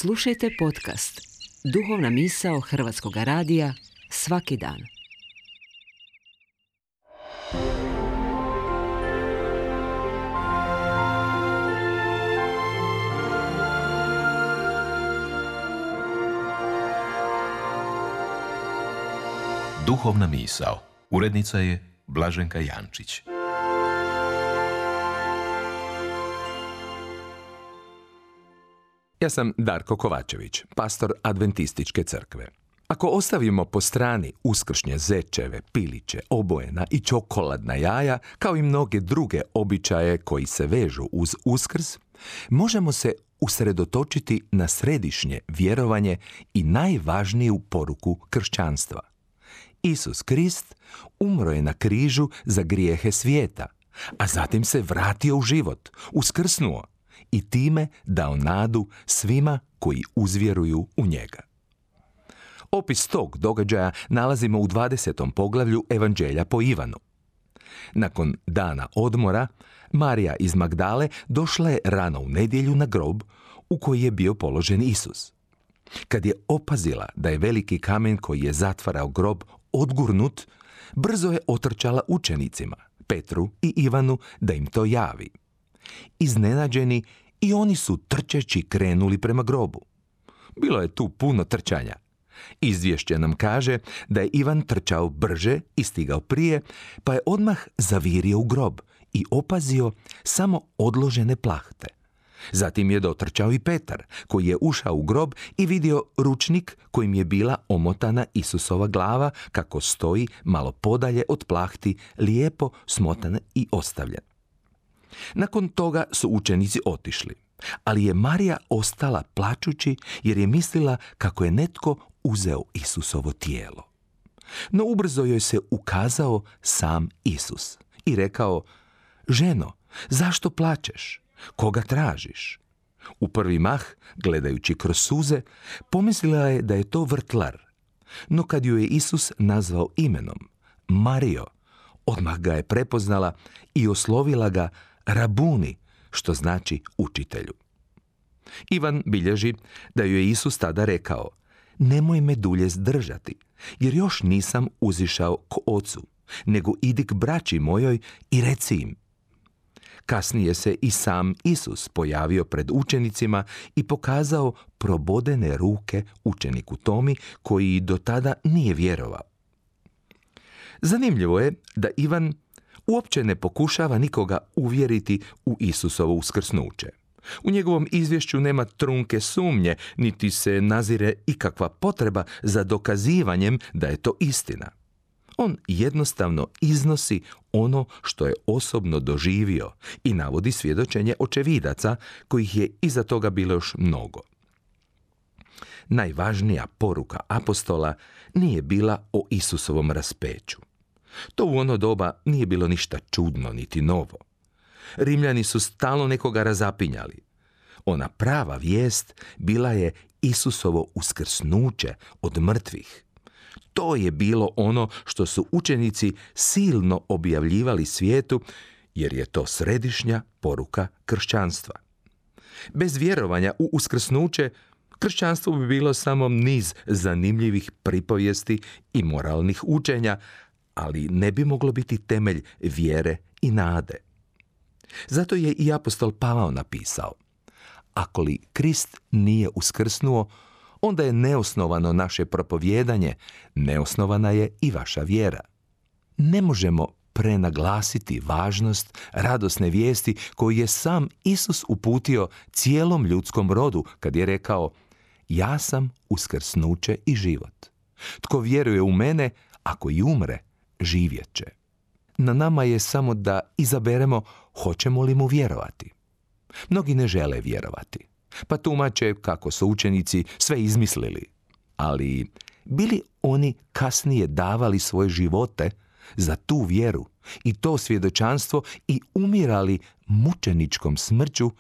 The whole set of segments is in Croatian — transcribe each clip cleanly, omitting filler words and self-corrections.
Slušajte podcast Duhovna misao Hrvatskog radija svaki dan. Duhovna misao. Urednica je Blaženka Jančić. Ja sam Darko Kovačević, pastor Adventističke crkve. Ako ostavimo po strani uskršnje zečeve, piliće, obojena i čokoladna jaja, kao i mnoge druge običaje koji se vežu uz Uskrs, možemo se usredotočiti na središnje vjerovanje i najvažniju poruku kršćanstva. Isus Krist umro je na križu za grijehe svijeta, a zatim se vratio u život, uskrsnuo i time dao nadu svima koji uzvjeruju u njega. Opis tog događaja nalazimo u 20. poglavlju Evanđelja po Ivanu. Nakon dana odmora, Marija iz Magdale došla je rano u nedjelju na grob u koji je bio položen Isus. Kad je opazila da je veliki kamen koji je zatvarao grob odgurnut, brzo je otrčala učenicima, Petru i Ivanu, da im to javi. Iznenađeni, i oni su trčeći krenuli prema grobu. Bilo je tu puno trčanja. Izvješće nam kaže da je Ivan trčao brže i stigao prije, pa je odmah zavirio u grob i opazio samo odložene plahte. Zatim je dotrčao i Petar, koji je ušao u grob i vidio ručnik kojim je bila omotana Isusova glava, kako stoji malo podalje od plahti, lijepo smotana i ostavljen. Nakon toga su učenici otišli, ali je Marija ostala plačući jer je mislila kako je netko uzeo Isusovo tijelo. No ubrzo joj se ukazao sam Isus i rekao: "Ženo, zašto plačeš? Koga tražiš?" U prvi mah, gledajući kroz suze, pomislila je da je to vrtlar. No kad ju je Isus nazvao imenom, Marijo, odmah ga je prepoznala i oslovila ga Rabuni, što znači učitelju. Ivan bilježi da ju je Isus tada rekao: "Nemoj me dulje zdržati, jer još nisam uzišao k ocu, nego idi k braći mojoj i reci im." Kasnije se i sam Isus pojavio pred učenicima i pokazao probodene ruke učeniku Tomi, koji do tada nije vjerovao. Zanimljivo je da Ivan uopće ne pokušava nikoga uvjeriti u Isusovo uskrsnuće. U njegovom izvješću nema trunke sumnje, niti se nazire ikakva potreba za dokazivanjem da je to istina. On jednostavno iznosi ono što je osobno doživio i navodi svjedočenje očevidaca, kojih je iza toga bilo još mnogo. Najvažnija poruka apostola nije bila o Isusovom raspeću. To u ono doba nije bilo ništa čudno niti novo. Rimljani su stalno nekoga razapinjali. Ona prava vijest bila je Isusovo uskrsnuće od mrtvih. To je bilo ono što su učenici silno objavljivali svijetu, jer je to središnja poruka kršćanstva. Bez vjerovanja u uskrsnuće, kršćanstvo bi bilo samo niz zanimljivih pripovijesti i moralnih učenja, ali ne bi moglo biti temelj vjere i nade. Zato je i apostol Pavao napisao: "Ako li Krist nije uskrsnuo, onda je neosnovano naše propovijedanje, neosnovana je i vaša vjera." Ne možemo prenaglasiti važnost radosne vijesti koju je sam Isus uputio cijelom ljudskom rodu kad je rekao: "Ja sam uskrsnuće i život. Tko vjeruje u mene, ako i umre, živjet će." Na nama je samo da izaberemo hoćemo li mu vjerovati. Mnogi ne žele vjerovati, pa tumače kako su učenici sve izmislili. Ali bili oni kasnije davali svoje živote za tu vjeru i to svjedočanstvo i umirali mučeničkom smrću,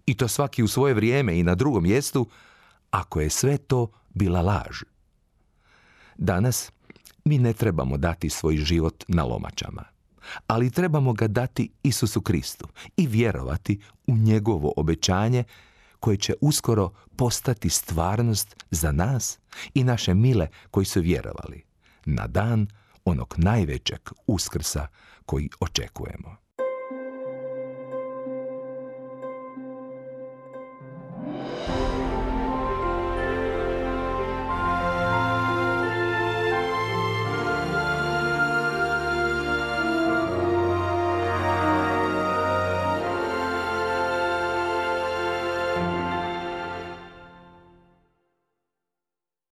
i to svaki u svoje vrijeme i na drugom mjestu, ako je sve to bila laž? Danas mi ne trebamo dati svoj život na lomačama, ali trebamo ga dati Isusu Kristu i vjerovati u njegovo obećanje koje će uskoro postati stvarnost za nas i naše mile koji su vjerovali na dan onog najvećeg Uskrsa koji očekujemo.